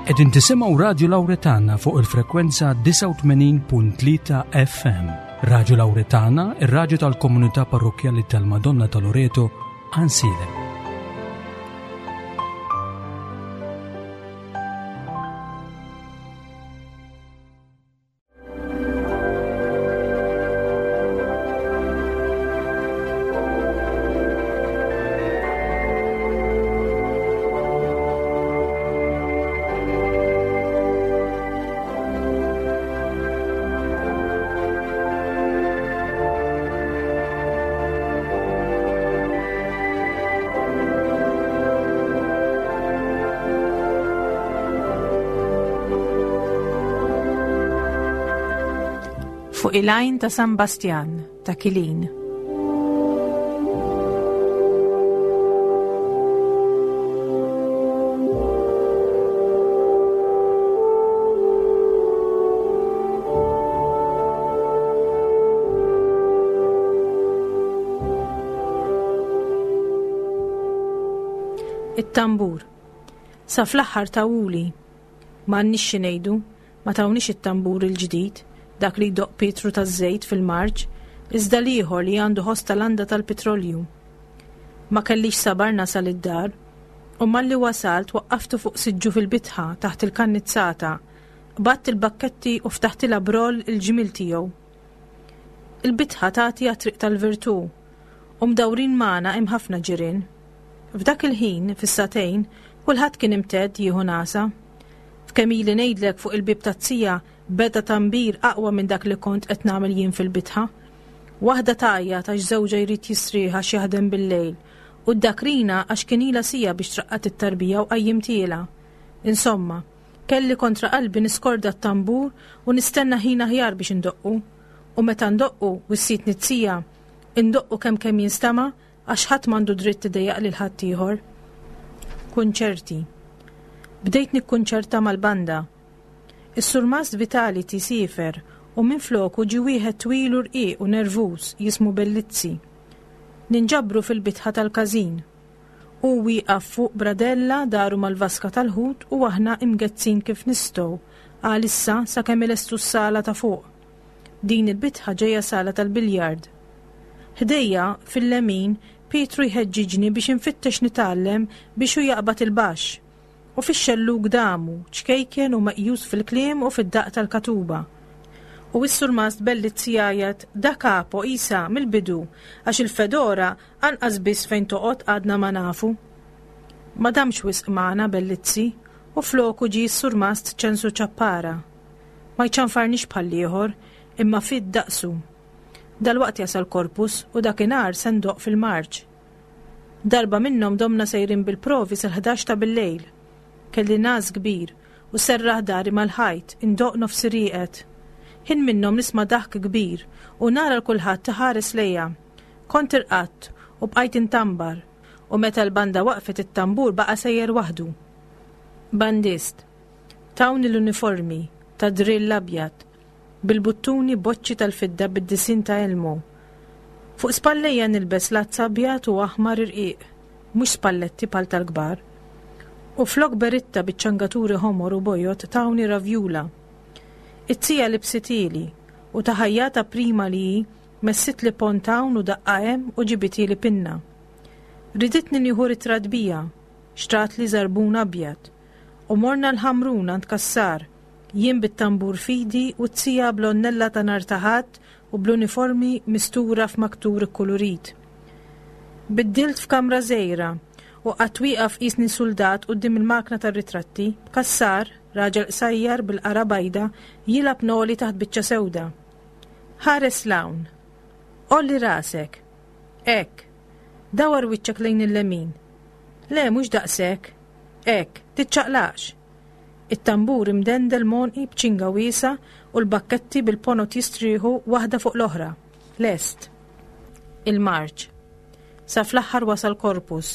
Qegħdin tisimgħu Radju Lawretana fuq il-frekwenza 89.3 FM. Radju Lawretana, ir-radju tal-komunità parrokkjali tal-Madonna ta' Loreto, Ansilem. Fuq il-għajn ta' San Bastjan ta' Kilin. It-tambur. Sa fl-aħħar tawuli. Ma għandniex xi ngħidu, ma tawniex it-tambur il-ġdid, dak li jdoqq Pietru taż-żejt fil-marċ, iżda l-ieħor li għandu ħoss ta' landa tal-pitrolju. Ma kellix sabar nasal id-dar, u malli wasalt waqqaftu fuq siġġu fil-bitħa taħt il-kannizzata, qbadt il-bakketti u ftaħtilha b'roll il-ġmiel tiegħu. Il-bitħa tagħti għat-triq tal-Virtù, u mdawrin magħna hemm ħafna ġirien. F'dak il-ħin, fis-sagħtejn, kulħadd kien imtedd jieħu nagħsa. F'kemm ili ngħidlek fuq il-bieb taz-zija beda tambir aqwa minn dak li kont qed nagħmel jien fil-bitħa. Waħda tgħajjat għax żewġha jrid jistrieħ għax jaħdem bil-lejl u d-dakrina għax kien ilha siegħa biex traqqad it-tarbija u qajjimtielha. Insomma, kelli kontra qalbi niskorda t-tambur u nistenna ħin aħjar biex indoqqu. U meta ndoqqu, wissietni z-zija, indoqqu kemm kemm jinstama' Għax ħadd m'għandu dritt idejjaq lil ħaddieħor. Kunċerti. Bdejt nikkunċerta mal-banda. Is-Surmast Vitality siefer u minfloku ġie wieħed twil u rqiq u nervuż jismu Bellizzi. Ninġabru fil-bitħa tal-każin. Hu wieqaf fuq bradella daru mal-vaska tal-ħut u aħna imgezzin kif nistgħu għalissa sakemm ilestu s-sala ta' fuq. Din il-bitħa ġejja sala tal-biljard. Ħdejja, fil-lemin, Pietru jħeġġiġni biex infittex nitgħallem biex hu jaqbad il-baxx. U fix-xellug damu, ċkejken u meqjus fil-kliem u fid-daqq tal-katuba. U s-Surmast Bellizzi jgħajjat da capo, isa, mill-bidu, għax il-fedora anqas biss fejn toqgħod għadna ma nafu. Ma damx wisq magħna Bellizzi, u floku ġie s-Surmast Ċensu Ciappara. Ma jċanfarnix bħall-ieħor, imma fid daqsu. Dalwaqt jasal Corpus u dakinhar se ndoqq fil-marċ. Darba minnhom domna sejrin bil-provi sal-ħdax ta' billejl. Kelli ngħas kbir u serraħ dari mal-ħajt indoqq nofsi rieqed. Ħin minnhom nisma' daħk kbir u nara 'l kulħadd iħares lejja. Kont irqadt u bqajt intambar u meta l-banda waqfet it-tambur baqa' sejjer waħdu. Bandist. Tawni l-uniformi, ta' drill abjad, bil-buttuni boċċi tal-fidda bid-disinn ta' Elmo. Fuq spallejja nilbes lazz abjad u aħmar irqiq, mhux spalletti bħal tal-kbar. U flok beritta biċ-ċangaturi ħomor u bojod tawni ravjula. It-tija libsitieli, u ta' ħajjata prima li hi, messitli pont hawn u daqqa hemm u ġibitieli pinna. Riditni nieħu ritratt bija, xtratli żarbun abjad. U morna l-Ħamrun għand Cassar, jien bit-tambur f'idi u t-tija bl-għonnella ta' nhar ta' Ħadd u bl-uniformi mistura f'maktur ikkulurit. Biddilt f'kamra żgħira u qgħadt wieqaf qisni suldat quddiem il-makna tar-ritratti, b'Cassar, raġel qsajjar bil-qara bajda, jilgħab noli taħt biċċa sewda. Ħares 'l hawn. Għolli rasek. Hekk. Dawwar wiċċek lejn il-lemin. Le, mhux daqshekk. Hekk, tiċċaqlaqx! It-tambur imdendel m'għonqi b'ċinga wiesgħa u l-bakketti bil-ponot jistrieħu waħda fuq l-oħra. Lest. Il-marċ. Sa fl-aħħar wasal Corpus,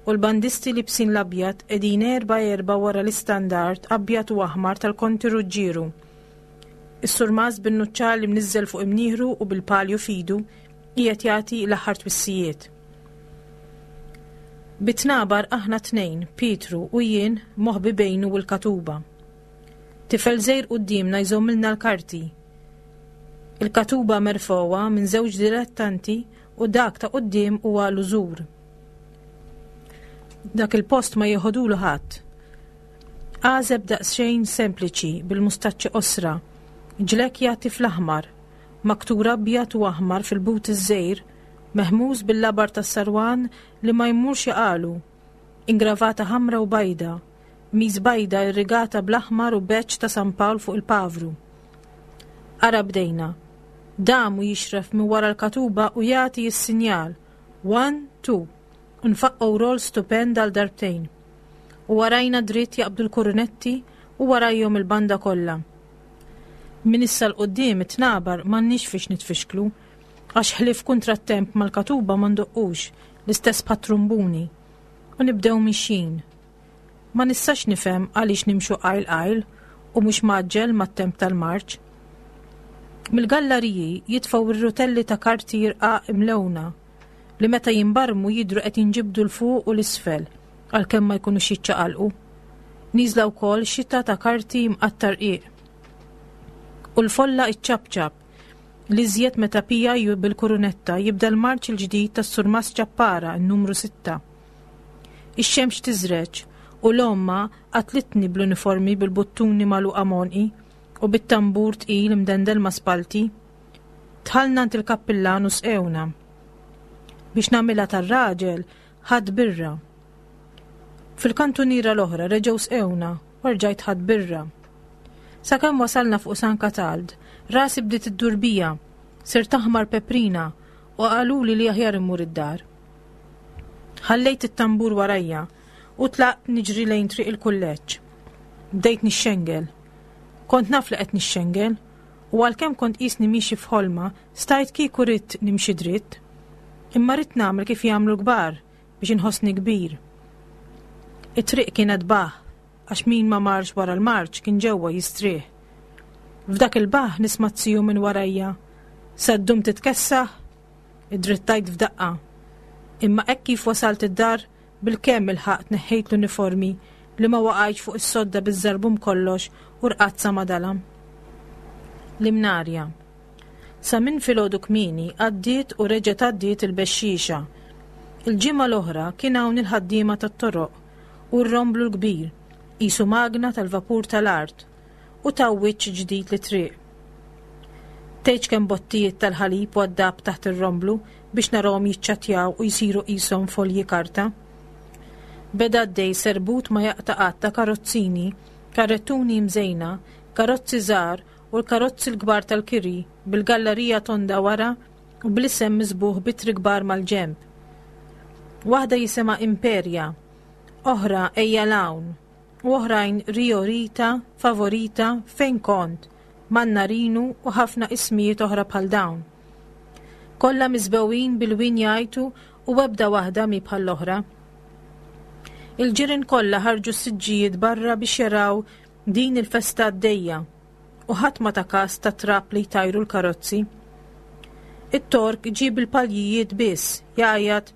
u l-bandisti libsin l-abjad qegħdin erba' erba' wara l-istandard abjad u aħmar tal-Konti Ruġġieru. Is-surmast bin-nuċċali mniżżel fuq imnieħru u bil-palju f'idu qiegħed jagħti l-aħħar twissijiet. Bit-tnabar aħna tnejn, Pietru u jien moħbi bejnu u l-katuba. Tifel żgħir quddiemna jżommilna l-karti. Il-katuba merfgħuha minn żewġ dilettanti u dak ta' quddiem huwa l-użur. Dak il-post ma jieħodulu ħadd. Għażeb daqsxejn sempliċi bil-mustaċċi qosra, ġlekk jagħti fl-aħmar, maktur abjad u aħmar fil-but iż-żgħir, mehmuż bil-labar tas-sarwan li ma jmurx jaqalu, ingravata ħamra u bajda, qmis bajda irrigata bl-aħmar u badge ta' San Pawl fuq il-pavru. Ara bdejna. Dam u jixref minn wara l-katuba u jagħti s-sinjal. One, two. U nfaqqgħu roll stupend għal darbtejn. U warajna dritt jaqbdu l-kurunetti u warajhom il-banda kollha. Minn issa 'l quddiem it-tnabar m'għandniex fiex nitfixklu, għax ħlief kuntrattemp mal-katuba ma ndoqqux, l-istess bħat-trumbuni. U nibdew mixjin. Ma nistax nifhem għaliex nimxu qajl qajl u mhux mgħaġġel mat-temp tal-marċ. Mill-gallariji jitfgħu r-rutelli ta' karti rqaq imlewna li meta jinbarmu jidhru qed jinġibdu 'l fuq u 'l isfel għalkemm ma jkunux jiċċaqalqu. Nieżla wkoll xita ta' karti mqatta' rqiq. U l-folla iċċapċap, l-iżjed meta PIU bil-kurunetta jibda l-marċ il-ġdid tas-Surmast Ċappara, n-numru sitta. Ix-xemx tiżreġ u l-għomma qatlitni bl-uniformi bil-buttuni magħluqa m'għonqi u bit-tambur tqil imdendel ma' spallti. Dħalna għand il-kappillan u sqewna. Biex nagħmilha tar-raġel, ħadt birra. Fil-kantuniera l-oħra reġgħu sqewna u rġajt ħadt birra. Sakemm wasalna fuq San Katald, rasi bdiet iddur bija, sirt aħmar peprina u qaluli li aħjar immur id-dar. Ħallejt it-tambur warajja u tlaqt niġri lejn triq il-kulleġġ. Bdejt nixxengel. Kont naf li qed nixxengel u għalkemm kont qisni miexi f'ħolma, stajt kieku ridt nimxi dritt. Imma ridt nagħmel kif jagħmlu l-kbar biex inħossni kbir. It-triq kienet baħ għax min ma marx wara l-marċ kien ġewwa jistrieħ. F'dak il-baħ nisma' z-ziju minn warajja. Se ddum titkessaħ? Iddrittajt f'daqqa. Imma hekk kif wasalt id-dar, bilkemm ilħaqt neħħejt l-uniformi li ma waqajtx fuq is-sodda biż-żarbun b'kollox u rqadt sa ma dalam. L-Imnarja. Sa minn filgħodu kmieni għaddiet u reġgħet għaddiet il-bexxiexa. Il-ġimgħa l-oħra kien hawn il-ħaddiema tat-toroq u r-romblu l-kbir, qisu magna tal-vapur tal-art, u taw wiċċ ġdid lit-triq. Tgħidx kemm bottijiet tal-ħalib waddab taħt ir-romblu biex narahom jiċċattjaw u jsiru qishom folji karta. Beda għaddej serbut ma jaqta' qatt ta' karozzini, karrettuni mżejna, karozzi żgħar u l-karozzi l-kbar tal-kiri bil-gallarija tonda wara u bl-isem miżbugħ b'ittri kbar mal-ġenb. Waħda jisimha Imperia, oħra Ejja 'l hawn u oħrajn Rio Rita, Favorita, Fejn Kont, Mannarinu u ħafna ismijiet oħra bħal dawn. Kollha miżbewin bil-wien jgħajtu u ebda waħda mhi bħall-oħra. Il-ġirien kollha ħarġu s-siġġijiet barra biex jaraw din il-festa għaddejja u ħadd ma ta kas tat-trab li jtajru l-karozzi. It-Tork ġie bil-paljijiet biss, jgħajjat,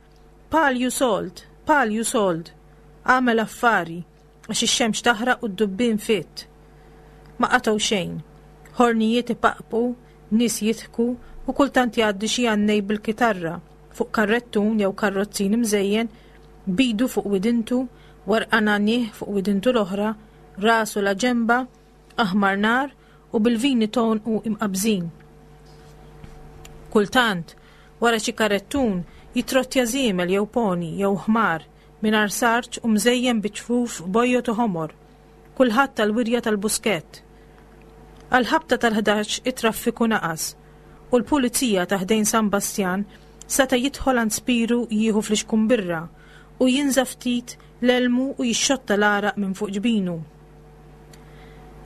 Palju sold! Palju sold! Agħmel affari, għax ix-xemx taħraq u d-dubbien fitt. Ma qatgħu xejn. Ħornijiet ipaqpqu, nies jidħku u kultant jgħaddi xi għannej bil-kitarra fuq karrettun jew karrozzin imżejjen, b'idu fuq widintu, werqa nagħnih fuq widintu l-oħra, rasu la ġenba, aħmar nar u bil-vini t'għonqu imqabbżin. Kultant, wara xi karettun, jitrottja żiemel jew poni jew ħmar mingħajr sarġ u mżejjen bi ċfuf bojod u ħomor, kulħadd għall-wirja tal-buskett. Għall-ħabta tal-ħdax it-traffiku naqas u l-pulizija ta' ħdejn San Bastjan seta' jidħol għand Spiru jieħu flixkun birra u jinża' ftit l-elmu u jixxotta l-għaraq minn fuq ġbinu.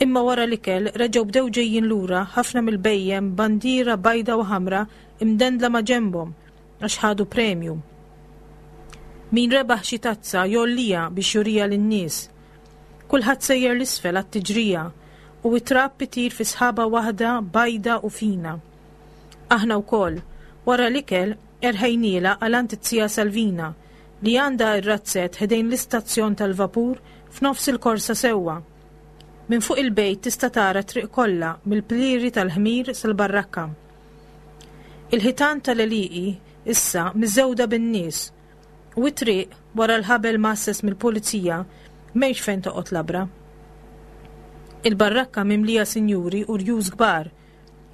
Imma wara l-ikel reġgħu bdew ġejjin lura ħafna mill-bhejjem b'bandiera bajda u ħamra imdendla ma' ġenbhom għax ħadu premju. Min rebaħ xi tazza jgħolliha biex juriha lin-nies. Kulħadd sejjer 'l isfel għat-tiġrija u t-trab itir fi sħaba waħda bajda u fina. Aħna wkoll, wara l-ikel, erħejnielha għal għand it-tija Salvina. li għandha r-razzett ħdejn l-istazzjon tal-vapur f'nofs il-korsa sewwa. Minn fuq il-bejt tista' tara t-triq kollha mill-plieri tal-ħmir sal-barrakka. Il-ħitan tal-għelieqi issa miżgħuda bin-nies u t-triq wara l-ħabel mgħasses mill-pulizija m'hemmx fejn toqgħod labra. Il-barrakka mimlija sinjuri u rjus kbar,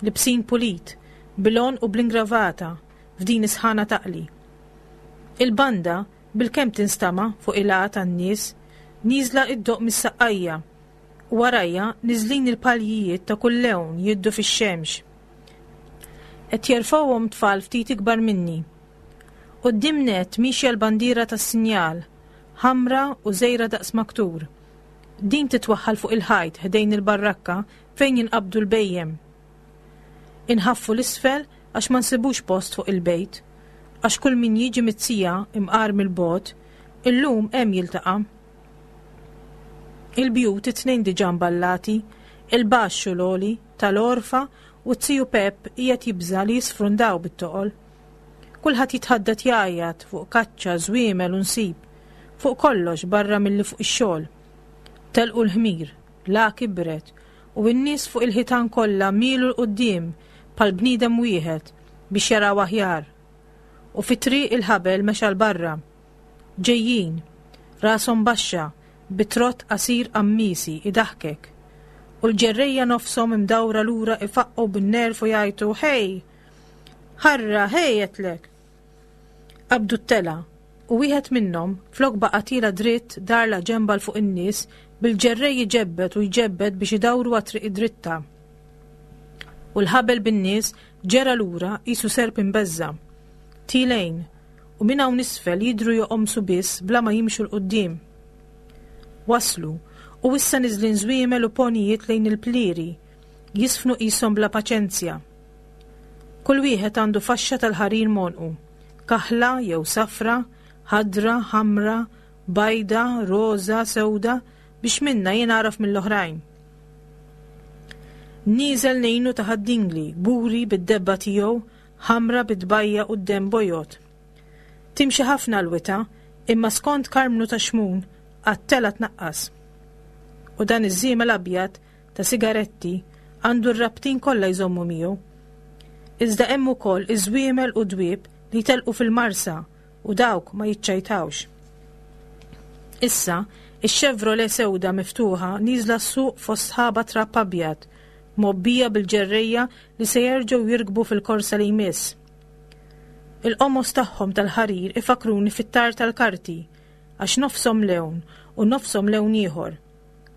libsin pulit, bil-għonq u bl-ingravata f'din is-sħana taqli. Il-banda bilkemm tinstama' fuq il-għa tan-nies, nieżla iddoqq mis-saqqajja, u warajja niżlin il-paljijiet ta' kull lewn jiddu fix-xemx. Qed jerfgħuhom tfal ftit ikbar minni. Quddiem nett miexja l-bandiera tas-sinjal, ħamra u żgħira daqs maktur. Din titwaħħal fuq il-ħajt ħdejn il-barrakka fejn jinqabdu l-bhejjem. Inħaffu 'l isfel għax ma nsibux post fuq il-bejt, għax kull min jiġi mit-sija imqar mill-bogħod, illum hemm jiltaqa'. Il-bjut it-tnejn diġà mballati, il-baxx u l-għoli, tal-għorfa u z-ziju Pepp qiegħed jibża' li jisfrundaw bit-toqol. Kulħadd jitħaddet jgħajjat fuq kaċċa, żwiemel u nsib, fuq kollox barra milli fuq ix-xogħol. Telqu l-ħmir, l-għa kibret u n-nies fuq il-ħitan kollha mielu 'l quddiem bħal bniedem wieħed biex jaraw aħjar. U fit-triq il-ħabel mexa 'l barra. Ġejjin, rashom baxxa, bi trott qasir qammiesi idaħħkek. U l-ġerrejja nofshom imdawra lura ifaqqgħu bin-nerv u jgħajtu, Ħej! Ħarra, ħej għedtlek! Qabdu t-telgħa, u wieħed minnhom, flok baqa' tiela' dritt dar la ġenba 'l fuq in-nies, bil-ġerrej iġebbed u jġebbed biex idawru għat-triq id-dritta. U l-ħabel bin-nies ġera lura qisu serp imbeżża'. Tielgħin, u minn hawn isfel jidhru joqomsu biss bla ma jimxu 'l quddiem. Waslu, u issa niżlin żwiemel u ponijiet lejn il-plieri, jiżfnu qishom bla paċenzja. Kull wieħed għandu faxxa tal-ħarir m'għonqu, kaħla jew safra, ħadra, ħamra, bajda, roża, sewda, biex minnha jingħaraf mill-oħrajn. Nieżel ngħinu ta' Ħad-Dingli, kburi bid-debba tiegħu, ħamra bit-tbajja u d-demm bojod. Timxi ħafna l-wita, imma skont Karmnu ta' Xmun, għat-telgħa tnaqqas. U dan iż-żiemel abjad ta' sigaretti għandu r-rabtin kollha jżommu miegħu. Iżda hemm ukoll iż-żwiemel u dwieb li jtelqu fil-marsa u dawk ma jiċċajtawx. Issa, ix-Chevrolet sewda miftuħa nieżla s-suq fost sħaba trab abjad, mgħobbija bil-ġerrejja li se jerġgħu jirkbu fil-korsa li jmiss. Il-qomos tagħhom tal-ħarir ifakkruni fit-tar tal-karti għax nofshom lewn u nofshom lewn ieħor.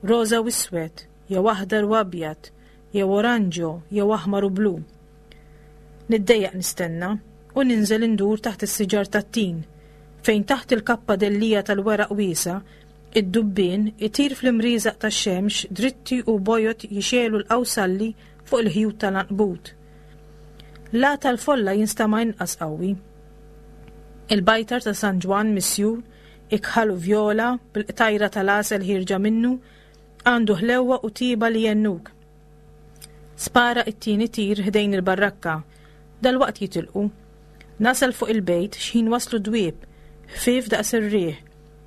Roża u iswed, jew aħdar u abjad, jew oranġo, jew aħmar u blu. Niddejjaq nistenna u ninżel indur taħt is-siġar tat-tin, fejn taħt il-kappa dellija tal-weraq wiesa' id-dubbien itir fl-imrieżaq tax-xemx dritti u bojod jixegħlu l-qawsalli fuq il-ħjut tal-għanqbut. L-għa tal-folla jinstama' inqas qawwi. Il-bajtar ta' San Ġwann misjur ikħal u vjola, bil-qtajra tal-għasel ħierġa minnu, għandu ħlewwa u tieba li jgħennuk. Spara it-tieni tir ħdejn il-barrakka. Dalwaqt jitilqu. Nasal fuq il-bejt x'ħin waslu dwieb, ħfief daqs ir-riħ,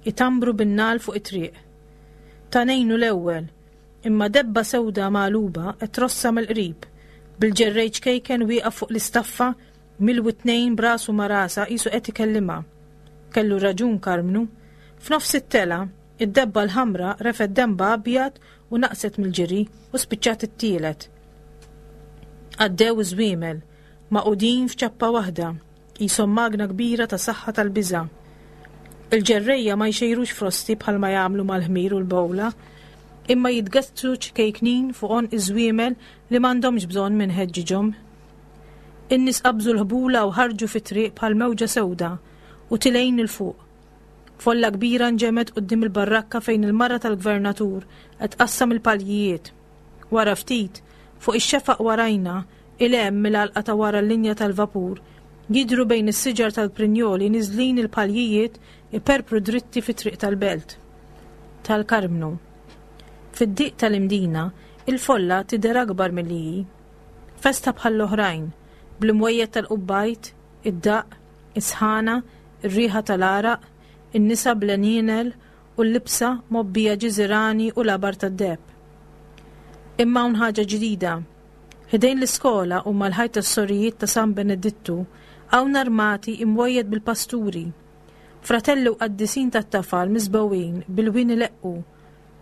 itambru bin-nagħal fuq it-triq. Ta' ngħinu l-ewwel, imma debba sewda magħluba qed trossha mill-qrib, bil-ġerrej ċkejken wieqaf fuq l-istaffa Mill-witnejn b'rasu ma' rasha qisu qed ikellimha. Kellu raġun Karmnu. F'nofs it-telgħa, id-debba l-ħamra refgħet denbha abjad u naqset mill-ġiri u spiċċat it-tielet. Għaddew iż-żwiemel, magħqudin f'ċappa waħda, qishom magna kbira ta' saħħa tal-biża'. Il-ġerrejja ma jxejrux frosti bħalma jagħmlu mal-ħmir u l-bowla, imma jitgezzsu ċkejknin fuq għonq iż-żwiemel li m'għandhomx bżonn min ħeġġiġhom. In-nies qabżu l-ħbula u ħarġu fit-triq bħal mewġa sewda u tilgħin 'il fuq. Folla kbira nġemgħet quddiem il-barrakka fejn il-mara tal-gvernatur qed tqassam il-paljijiet. Wara ftit, fuq ix-xefaq warajna, 'il hemm mill-għalqa ta' wara l-linja tal-vapur, jidhru bejn is-siġar tal-prinjoli niżlin il-paljijiet iperpru dritti fit-triq tal-belt. Tal-Karmnu. Fid-diq tal-Imdina, il-folla tidher akbar milli hi. Festa bħall-oħrajn, bl-imwejjed tal-qubbajt, id-daqq, is-sħana, ir-riħa tal-għaraq, In-nisa bl-għenienel u l-libsa mgħobbija ġiżirani u labar tad-deheb. Imma hawn ħaġa ġdida. Ħdejn l-iskola u mal-ħajt tas-sorijiet ta' San Benedittu hawn armati imwejjed bil-pasturi. Fratelli u qaddisin tat-tafal miżbewin bil-wien ileqqu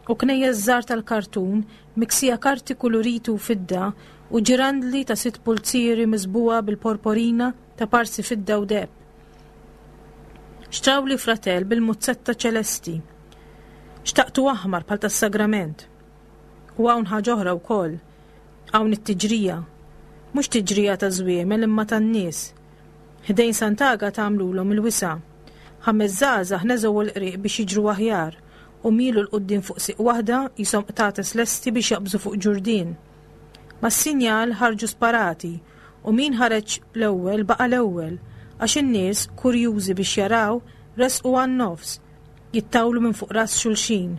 u knejjes żgħar tal-kartun miksija karti kuluriti u fidda u ġirandli ta' sitt pulzieri miżbugħa bil-porporina ta' parsi fidda u deheb. Xtrawli fratell bil-muzzetta ċelesti. Xtaqtu aħmar bħal tas-sagrament. U hawn ħaġa oħra wkoll. Hawn it-tiġrija. Mhux tiġrija ta' żwiemel imma tan-nies. Ħdejn Sant'Agata għamlulhom il-wisa'. Ħames żgħażagħ neżgħu l-qrieq biex jiġru aħjar u mielu 'l quddiem fuq sieq waħda qishom qtates lesti biex jaqbżu fuq ġurdien. Mas-sinjal ħarġu sparati u min ħareġ l-ewwel baqa' l-ewwel għax in-nies, kurjużi biex jaraw, resqu għan-nofs, jittawlu minn fuq ras xulxin,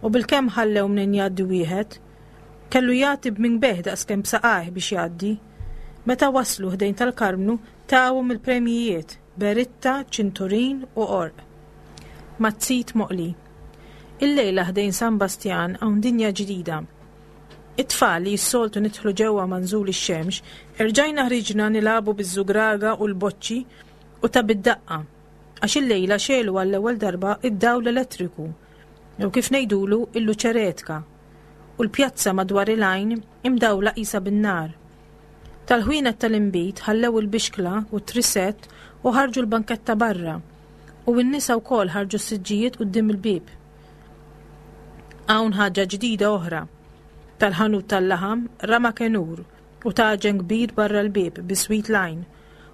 u bilkemm ħallew mnejn jgħaddi wieħed. Kellu jagħti b'minbeh daqskemm b'saqajh biex jgħaddi. Meta waslu ħdejn tal-Karmnu tawhom il-premjijiet, beritta, ċinturin u qorq. Mazzit moqli. Illejla ħdejn San Bastjan hawn dinja ġdida. It-tfal li s-soltu nidħlu ġewwa ma' nżul ix-xemx, erġajna ħriġna nilagħbu biż-żugraga u l-boċċi u ta' bid-daqqa, għax illejla xegħlu għall-ewwel darba d-dawl elettriku, jew kif ngħidulu il-luċeretka, u l-pjazza madwar il-għajn imdawla qisha bin-nar. Tal-ħwienet tal-inbid ħallew il-bixkla u t-trisett u ħarġu l-banketta barra, u n-nisa wkoll ħarġu s-siġġijiet quddiem il-bieb. Hawn ħaġa ġdida oħra. Tal-ħanut tal-laħam rama kenur u taġen kbir barra l-bieb biswit l-għajn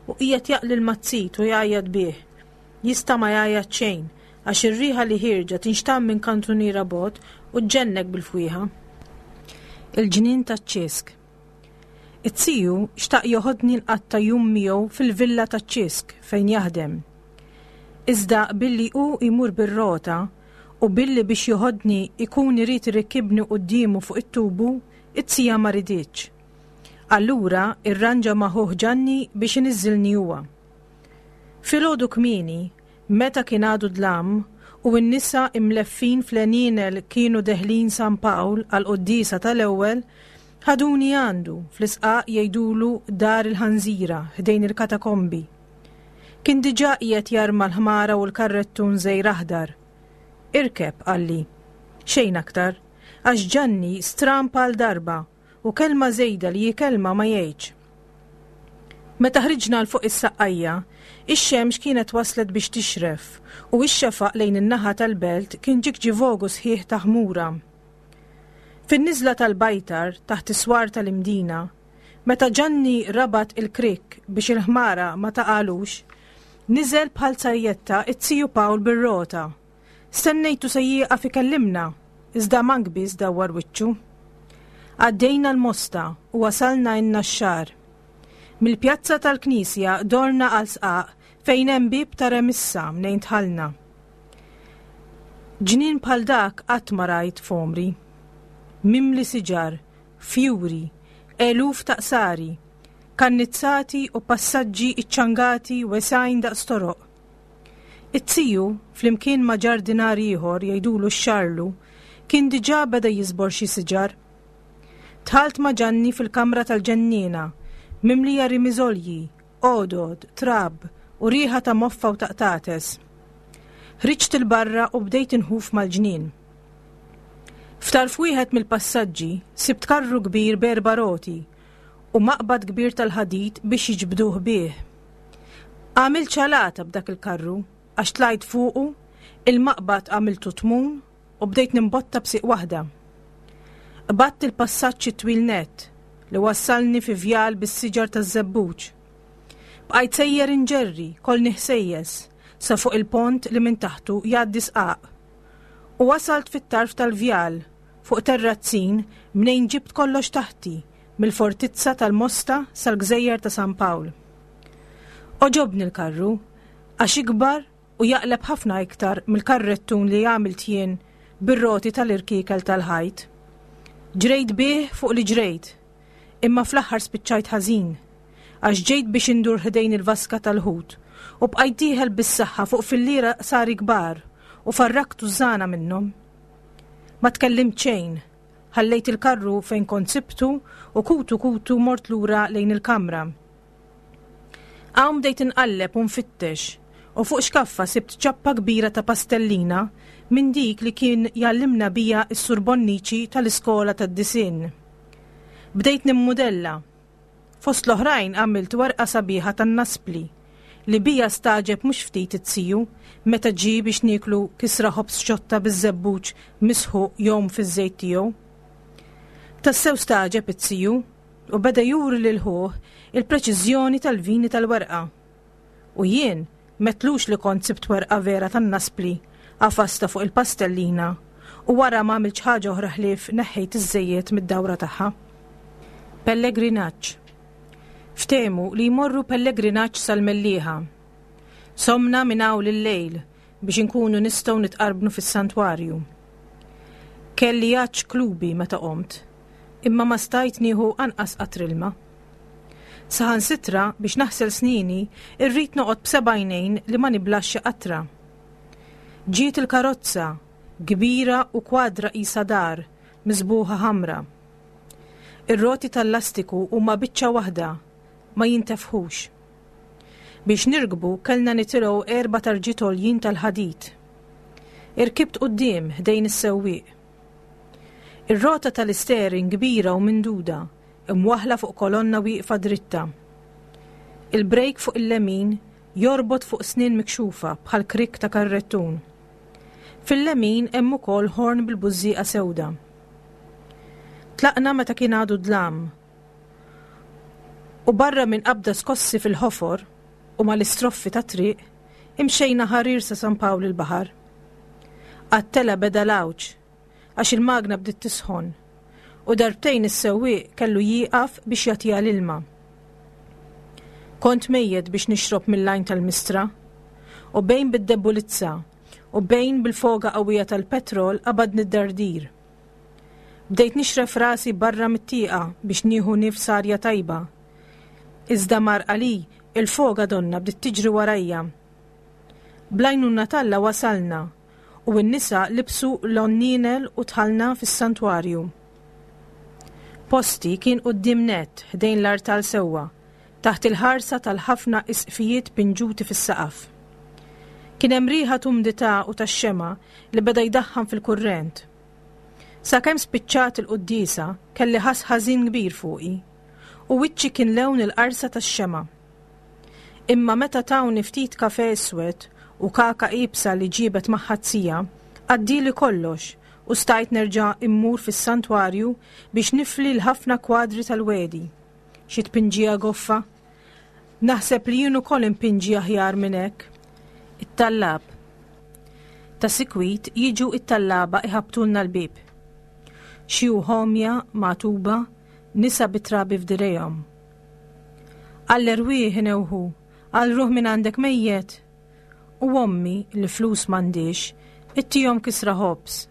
u qiegħed jaqli l-mazzit u jgħajjat bih. Jista' ma jgħajjat xejn għax ir-riħa li ħierġa tinxtamm minn kantuniera bogħod u ġġennek bil-fwieħa. Il-ġnien taċ-Ċisk. It-tiju xtaq joħodni nqatta' jum miegħu fil-villa taċ-Ċisk fejn jaħdem. Iżda billi hu jmur bir-rota u billi biex joħodni jkun irid irikkibni quddiemu fuq it-tubu, it-tija ma riditx. Allura irranġa ma' ħuh Ġanni biex iniżżilni huwa. Filgħodu kmieni, meta kien għadu dlam u n-nisa imleffin fl-għenienel kienu deħlin San Pawl għall-quddiesa tal-ewwel, ħaduni għandu, fl-isqaq jgħidulu Dar il-Ħanżira ħdejn il-katakombi. Kien diġà qiegħed jarma l-ħmara u l-karrettun żgħir aħdar. Irkeb, qalli. Xejn aktar, għax Ġanni stramb għal darba u kelma żejda li hi kelma ma jgħidx. Meta ħriġna 'l fuq is-Saqqajja, ix-xemx kienet waslet biex tixref u x-xefaq lejn in-naħa tal-belt kien ġigġivogu sħiħ ta' ħmura. Fin-niżla tal-Bajtar, taħt is-swar tal-Imdina, meta Ġanni rabat il-krikk biex il-ħmara ma taqagħlux, niżel bħal sajjetta t-tiju Pawl bir-rota. Stennejtu se jieqaf ikellimna, iżda mank biss dawwar wiċċu. Għaddejna l-Mosta u wasalna n-Naxxar. Mill-pjazza tal-knisja dorna għal sqaq fejn hemm bieb ta' remissa mnejn dħalna. Ġnien bħal dak qatt ma rajt f'għomri. Mimli siġar, fjuri, eluf ta' qsari, kannizzati u passaġġi iċċangati wesgħin daqs toroq. It-tiju, flimkien ma' ġardinar ieħor jgħidulu x-Xarlu, kien diġà beda jiżbor xi siġar. Dħalt ma' Ġanni fil-kamra tal-ġenniena, mimlija rimiżolji, għodod, trab u riħa ta' moffa u ta' qtates. Ħriġt 'il barra u bdejt inħuf mal-ġnien. F'tarf wieħed mill-passaġġi sibt karru kbir b'erba' roti u maqbad kbir tal-ħadid biex jiġbduh bih. Għamilt ċalata b'dak il-karru għax tlajt fuqu, il-maqbad għamiltu tmun u bdejt nimbotta b'sieq waħda. Qbadt il-passaġġ it-twil nett li wassalni fi vjal bis-siġar taż-żebbuġ. Bqajt sejjer inġerri, kollni ħsejjes, sa fuq il-pont li minn taħtu jgħaddi sqaq. U wasalt fit-tarf tal-vjal, fuq terrazzin mnejn ġibt kollox taħti, mill-fortizza tal-Mosta sal-gżejjer ta' San Pawl. Għoġobni l-karru, għax ikbar u jaqleb ħafna iktar mill-karrettun li għamilt jien bir-roti tal-irkiekel tal-ħajt. Ġrejt bih fuq li ġrejt, imma fl-aħħar spiċċajt ħażin, għax ġejt biex indur ħdejn il-vaska tal-ħut u bqajt dieħel bis-saħħa fuq filliera qsari kbar. u farrakt tużżana minnhom. Ma tkellimt xejn, ħallejt il-karru fejn kont sibtu u kutu kutu mort lura lejn il-kamra. Hawn bdejt inqalleb u nfittex u fuq xkaffa sibt ċappa kbira ta' pastellina minn dik li kien jgħallimna bija s-Sur Bonnici tal-iskola tad-disinn. Bdejt nimmudella. Fost l-oħrajn għamilt werqa sabiħa tan-naspli li bija stagħġeb mhux ftit it-tiju meta ġie biex nieklu kisra ħobż xotta biż-żebbuġ misħuq jgħum fiż-żejt tiegħu. Tassew stagħġeb it-tiju u beda juri lil ħuh il-preċiżjoni tal-vini tal-werqa. U jien m'għedtlux li kont sibt werqa vera tan-naspli għafastha fuq il-pastellina u wara ma għamiltx ħaġa oħra ħlief neħħejt iż-żejjed mid-dawra tagħha. Pellegrinaġġ. Ftehmu li jmorru pellegrinaġġ sal-Mellieħa. Somna minn hawn lil-lejl biex inkunu nistgħu nitqarbnu fis-santwarju. Kelli għatx klubi meta qomt, imma ma stajt nieħu anqas qatr ilma. Saħansitra biex naħsel snini rrid noqgħod b'seba' għajnejn li ma niblax xi qatra. Ġiet il-karozza, kbira u kwadra qisha dar, miżbugħa ħamra. Ir-roti tal-lastiku huma biċċa waħda, ma jintefħux. Biex nirkbu kellna nitilgħu erba' tarġiet għoljin tal-ħadid. Irkibt quddiem ħdejn is-sewwieq. Ir-rota tal-istering kbira u minduda, imwaħħla fuq kolonna wieqfa dritta. Il-brejk fuq il-lemin jorbot fuq snien mikxufa bħal krikk ta' karrettun. Fil-lemin hemm ukoll ħorn bil-bużżieqa sewda. Tlaqna meta kien għadu dlam. U barra minn qabda skossi fil-ħofor u mal-istroffi tat-triq, imxejna ħarir sa San Pawl il-Baħar. Għat-tela beda l-għawġ għax il-magna bdiet tisħon u darbtejn is-sewwieq kellu jieqaf biex jagħtiha l-ilma. Kont mejjet biex nixrob mill-għajn tal-mistra u bejn bid-debbulizza u bejn bil-foga qawwija tal-petrol qabadni d-dardir. Bdejt nixref rasi barra mit-tieqa biex nieħu nifs arja tajba. Iżda mar għali il-foga donna bdiet tiġri warajja. Bl-għajnuna t'Alla wasalna u n-nisa libsu l-għonnienel u dħalna fis-santwarju. Posti kien quddiem nett ħdejn l-artal sewwa, taħt il-ħarsa tal-ħafna isqfijiet pinġuti fis-saqaf. Kien hemm riħa t'umdità u tax-xemgħa li beda jdaħħan fil-kurrent. Sakemm spiċċat il-quddiesa kelli ħass ħażin kbir fuqi, u wiċċi kien lewn il-qarsa tax-xemgħa. Imma meta tawni ftit kafè iswed u kaka iebsa li ġiebet magħha z-zija, għaddieli kollox u stajt nerġa' immur fis-santwarju biex nifli l-ħafna kwadri tal-wegħdi. Xi tpinġija goffa! Naħseb li jien ukoll inpinġi aħjar minn hekk. It-tallab. Ta' sikwit jiġu t-tallaba iħabbtulna l-bieb. Xi għomja, magħtuba, nisa bi trabi f'dirgħejhom. Għall-erwieħ inewħu, għal ruħ minn għandek mejjet. U ommi, li flus m'għandhiex, ittihom kisra ħobż.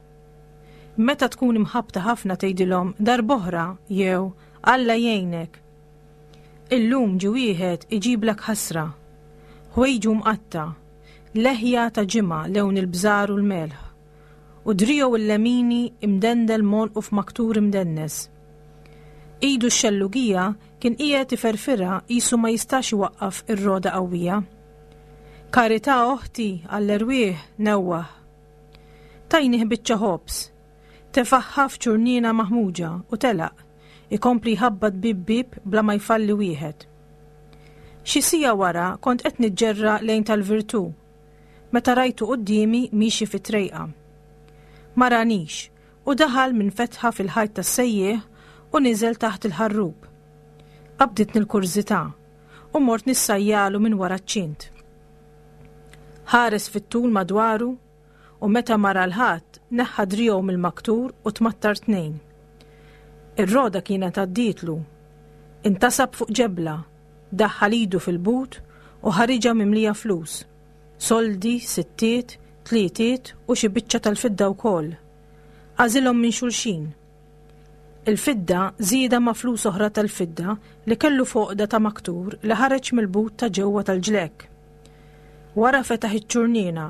Meta tkun imħabbta ħafna tgħidilhom darb'oħra jew Alla jgħinek. Illum ġie wieħed iġiblek ħasra. Ħwejġu mqatta', leħja ta' ġimgħa lewn il-bżar u l-melħ, u driegħu l-lemini imdendel m'għonqu f'maktur imdennes. Idu x-xellugija kien qiegħed iferfirha qisu ma jistax iwaqqaf ir-rogħda qawwija. Karità oħti għall-erwieħ newwaħ. Tajnih biċċa ħobż. Tefagħha f'ċurniena maħmuġa u telaq, ikompli jħabbat bieb bieb bla ma jfalli wieħed. Xi siegħa wara kont qed niġġerra lejn tal-Virtù meta rajtu quddiemi miexi fit-trejqa. Ma ranix u daħal minn fetħa fil-ħajt tas-sejjieħ u niżel taħt il-ħarrub. Qabditni l-kurżità u mort nissajjalu minn wara ċ-ċint. Ħares fit-tul madwaru u meta ma ra 'l ħadd neħħa driegħu mill-maktur u tmattar tnejn. Ir-roda kienet għaddietlu. Intasab fuq ġebla, daħħal idu fil-but u ħariġha mimlija flus. Soldi, sittiet, tlietiet u xi biċċa tal-fidda wkoll. Għażilhom minn xulxin. Il-fidda żiedha ma' flus oħra tal-fidda li kellu f'għoqda ta' maktur li ħareġ mill-but ta' ġewwa tal-ġlekk. Wara fetaħ iċ-ċurniena.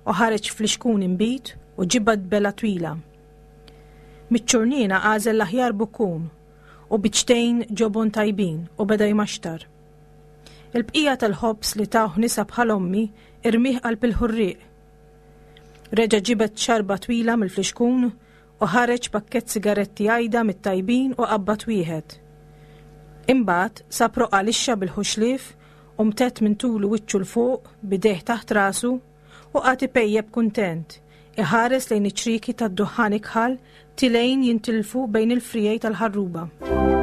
u ħareġ flixkun inbid u ġibad bela twila. Miċ-ċurniena għażel l-aħjar bukkun u biċċtejn ġobon tajbin u beda jmaxtar. Il-bqija tal-ħobż li tawh nisa bħal ommi irmih qalb il-ħurrieq. Reġa' ġibed xarba twila mill-flixkun u ħareġ pakkett sigaretti għajda mit-tajbin u qabbad wieħed. Imbagħad sab roqgħa lixxa bil-ħuxlief u mtedd minn tulu wiċċu 'l fuq b'idejh taħt rasu u qagħad ipejjep kuntent, iħares lejn iċ-ċrieki tad-duħħan ikħal tilgħin jintilfu bejn il-friegħi tal-ħarruba.